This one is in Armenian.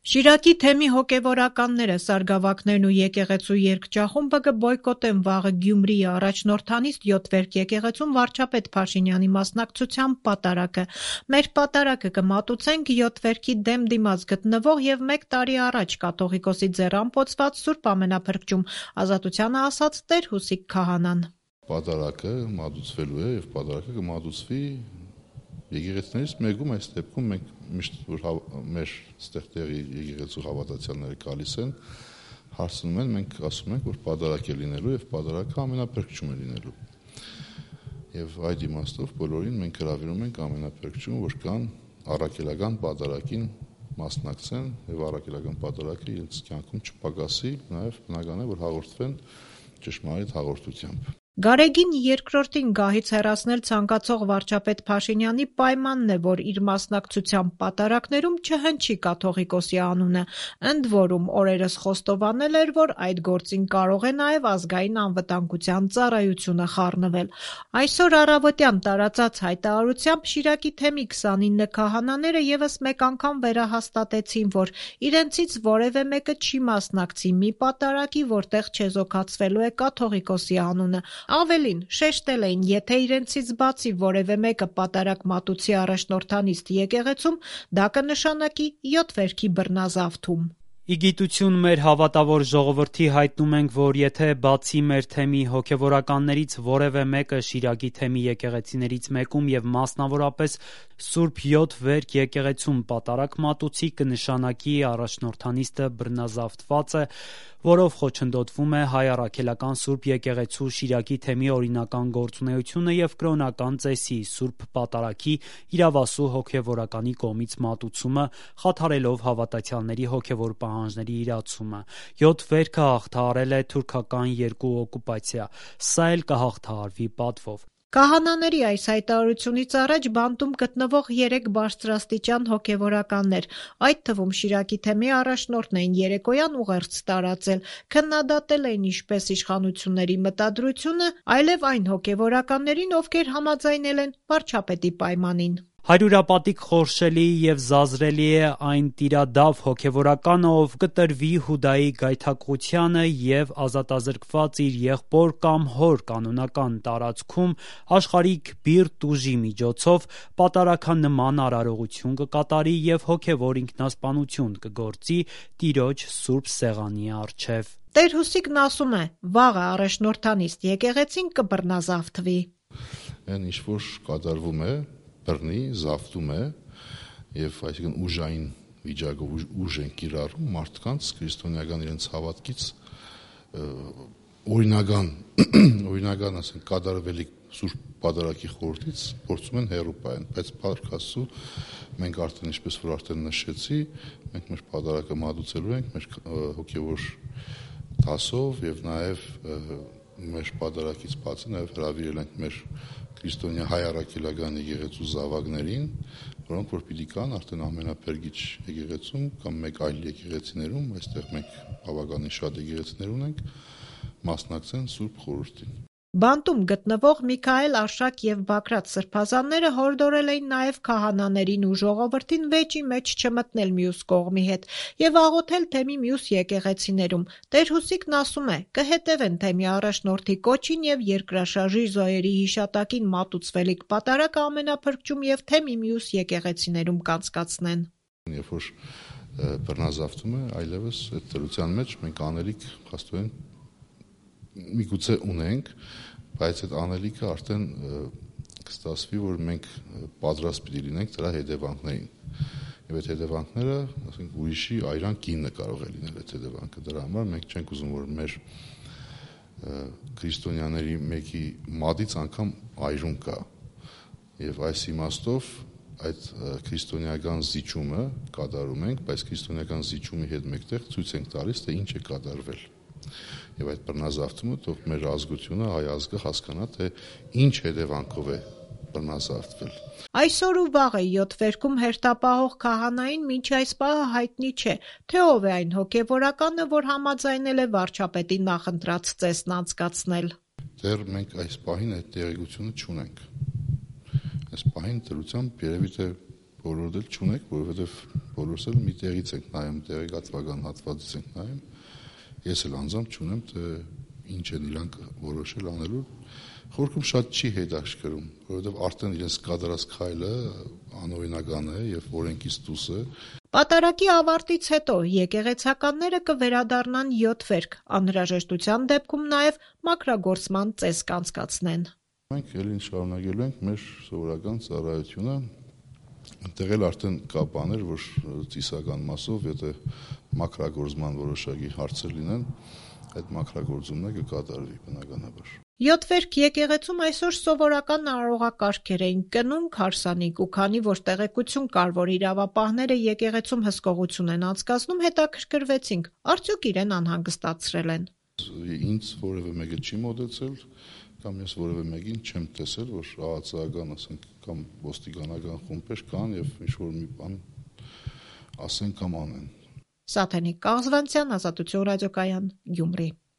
Շիրակի թեմի հոգևորականները, սարգսավաքներն ու եկեղեցու երգչախումբը կբոյկոտեն վաղը Գյումրիի առաջնորդանիստ 7 վերք եկեղեցում վարչապետ Փաշինյանի մասնակցությամբ պատարագը։ Մեր պատարագը կմատուցենք 7 վերքի դեմ դիմաց գտնվող եւ 1 տարի առաջ կաթողիկոսի ձեռ ամփոփված Սուրբ Ամենափրկչում, Ազատությանը ասաց Տեր Հուսիկ քահանան։ Պատարագը մատուցվելու է եւ պատարագը կմատուցվի եկեղեցիներից մեկում, այս դեպքում մենք միշտ որ մեր ստեղտեղի եկեղեցու հավատացյալները գալիս են, հարցնում են, մենք ասում ենք, որ պատարագ է լինելու եւ պատարագը ամենափրկչում է լինելու։ Եվ այդ իմաստով բոլորին մենք հրավիրում ենք ամենափրկչում, որ կան առաքելական պատարագին մասնակցեն եւ առաքելական պատարագը իրենց կյանքում չպակասի, նաեւ բնական է, որ հաղորդվեն ճշմարիտ հաղորդությամբ։ Գարեգին երկրորդին գահից հեռացնել ցանկացող վարչապետ Փաշինյանի պայմանն է, որ իր մասնակցությամբ պատարագներում չհնչի կաթողիկոսի անունը, ընդ որում օրերս խոստովանել էր, որ այդ գործին կարող է նաև ազգային անվտանգության ծառայությունը խառնվել։ Այսօր առավոտյան տարածած հայտարարությամբ Շիրակի թեմի 29 քահանաները եւս մեկ անգամ վերահաստատեցին, որ իրենցից որևէ մեկը չի մասնակցի մի պատարագի, որտեղ չեզոքացվելու է կաթողիկոսի անունը։ Ավելին, շեշտել էին, եթե իրենցից բացի որևէ մեկը պատարագ մատուցի առաջնորդանիստ եկեղեցում, դա կնշանակի 7 վերքի բռնազավթում։ Ի գիտություն մեր հավատավոր ժողովրդի հայտնում ենք, որ եթե բացի մեր թեմի հոգևորականներից որևէ մեկը Շիրակի թեմի եկեղեցիներից մեկում եւ մասնավորապես Սուրբ 7 վերք եկեղեցում պատարագ մատուցի, կնշանակի առաջնորդանիստը բռնազավթված է, որով խոչընդոտվում է հայ առաքելական Սուրբ եկեղեցու Շիրակի թեմի օրինական գործունեությունը եւ կրոնական ծեսի Սուրբ պատարագի իրավասու հոգևորականի կողմից մատուցումը, խաթարելով հավատացյալների հոգևոր պահանջների իրացումը։ 7 վերքը հաղթահարել է թուրքական 2 օկուպացիա, սա էլ կհաղթահարվի պատվով։ Քահանաների այս հայտարարությունից առաջ բանտում գտնվող 3 բարձրաստիճան հոգևորականներ, այդ թվում Շիրակի թեմի առաջնորդն էին երեկոյան ուղերձ տարածել, քննադատել էին ինչպես իշխանությունների մտադրությունը, այլև այն հոգևորականներին, ովքեր համաձայնել են վարչապետի պայմանին։ Հարյուրապատիկ խորշելի եւ զազրելի է այն տիրադավ հոգևորականը, ով կտրվի Հուդայի գայթակղությանը եւ ազատազրկված իր եղբոր կամ հոր կանոնական տարածքում աշխարհիկ բիրտ ուժի միջոցով պատարագանման արարողություն կկատարի եւ հոգևոր ինքնասպանություն կգործի Տիրոջ Սուրբ Սեղանի առջեւ։ Տեր Հուսիկն ասում է, վաղը առաջնորդանիստ եկեղեցին կբռնազավթվի։ Այն ինչ որ կատարվում է բռնի, զավթում է եւ այսինքն ուժային վիճակով ուժ են կիրառում մարդկանց քրիստոնեական իրենց հավատքից օրինական ասենք կատարվելի Սուրբ պատարագի խորհրդից փորձում են հեռու պահեն, բայց Փառք Աստծո մենք արդեն ինչպես որ արդեն նշեցի, մենք մեր պատարագը մատուցելու ենք մեր հոգևոր դասով եւ նաեւ մեր պատարագից բացի նաեւ հրավիրել ենք մեր քրիստոնյա հայ առաքելական եկեղեցու զավակներին, որոնք որ պիտի կան արդեն ամենափրկիչ եկեղեցում կամ մեկ այլ եկեղեցիներում, այստեղ մենք բավականին շատ եկեղեցիներ ունենք, մասնակցեն Սուրբ խորհրդին։ Բանտում գտնվող Միքայել, Արշակ եւ Բագրատ սրբազանները հորդորել էին նաեւ քահանաներին ու ժողովրդին վեճի մեջ չմտնել մյուս կողմի հետ եւ աղոթել թեմի մյուս եկեղեցիներում։ Տեր Հուսիկն ասում է, կհետևեն թեմի առաջնորդի կոչին եւ երկրաշարժի զոհերի հիշատակին մատուցվելիք պատարագը ամենափրկչում եւ թեմի մյուս եկեղեցիներում կանցկացնեն։ Երբ որ բռնազավթում է, այլևս այդ դրության մեջ մենք անելիք հաստատեն միգուցե ունենք, բայց այդ անելիքը արդեն կստացվի, որ մենք պատրաստ պիտի լինենք դրա հետևանքներին։ Եվ այդ հետևանքները, ասենք, ուրիշի այրան կինը կարող է լինել այդ հետևանքը։ Դրա համար մենք չենք ուզում, որ մեր քրիստոնյաների մեկի մատից անգամ այրուն կա։ Եվ այս իմաստով այդ քրիստոնեական զիջումը կատարում ենք, բայց քրիստոնեական զիջումի հետ մեկտեղ ցույց ենք տալիս, թե ինչ է կատարվել։ Եվ այդ բռնազավթումը թող մեր ազգությունը, հայ ազգը հասկանա, թե ինչ հետևանքով է բռնազավթվել։ Այսօր ու վաղը 7 վերքում հերթապահող քահանային մինչ այս պահը հայտնի չէ, թե ով է այն հոգևորականը, որ համաձայնել է վարչապետի նախընտրած ծեսն անցկացնել։ Դեռ մենք այս պահին այդ տեղեկությունը չունենք։ Այս պահին դրությամբ երևի թե բոլորդ էլ չունեք, որովհետև բոլորս էլ մի տեղից ենք նայում, տեղեկատվական հատվածից ենք նայում։ Ես էլ անձամբ չունեմ, թե ինչ են իրանք որոշել անելու։ Խորքում շատ չի հետաքրքրում, որովհետև արդեն իրենց կատարած քայլը անօրինական է եւ օրենքից դուրս է։ Պատարագի ավարտից հետո եկեղեցականները կվերադառնան 7 վերք, անհրաժեշտության դեպքում նաև մաքրագործման ծես կանցկացնեն։ Մենք ելին շարունակելու ենք մեր սովորական ծառայությունը, այնտեղ էլ արդեն կա բաներ, որ ծիսական մասով, եթե մաքրագործման որոշակի հարցեր լինեն, այդ մաքրագործումները կկատարվի բնականաբար։ 7 վերք եկեղեցում այսօր սովորական արարողակարգեր էին, կնունք, հարսանիք, ու քանի որ տեղեկություն կար, որ իրավապահները եկեղեցում հսկողություն են անցկացնում, հետաքրքրվեցինք, արդյոք իրեն անհանգստացրել են։ Ինձ որևէ մեկը չի մոտեցել, կամ ես որևէ մեկին չեմ տեսել, որ ԱԱՑ-ական, ասենք, կամ ոստիկանական խումբեր կան եւ ինչ-որ մի բան ասեն կամ անեն։ Սաթենիկ Կաղզվանցյան, Ազատություն ռադիոկայան, Գյումրի։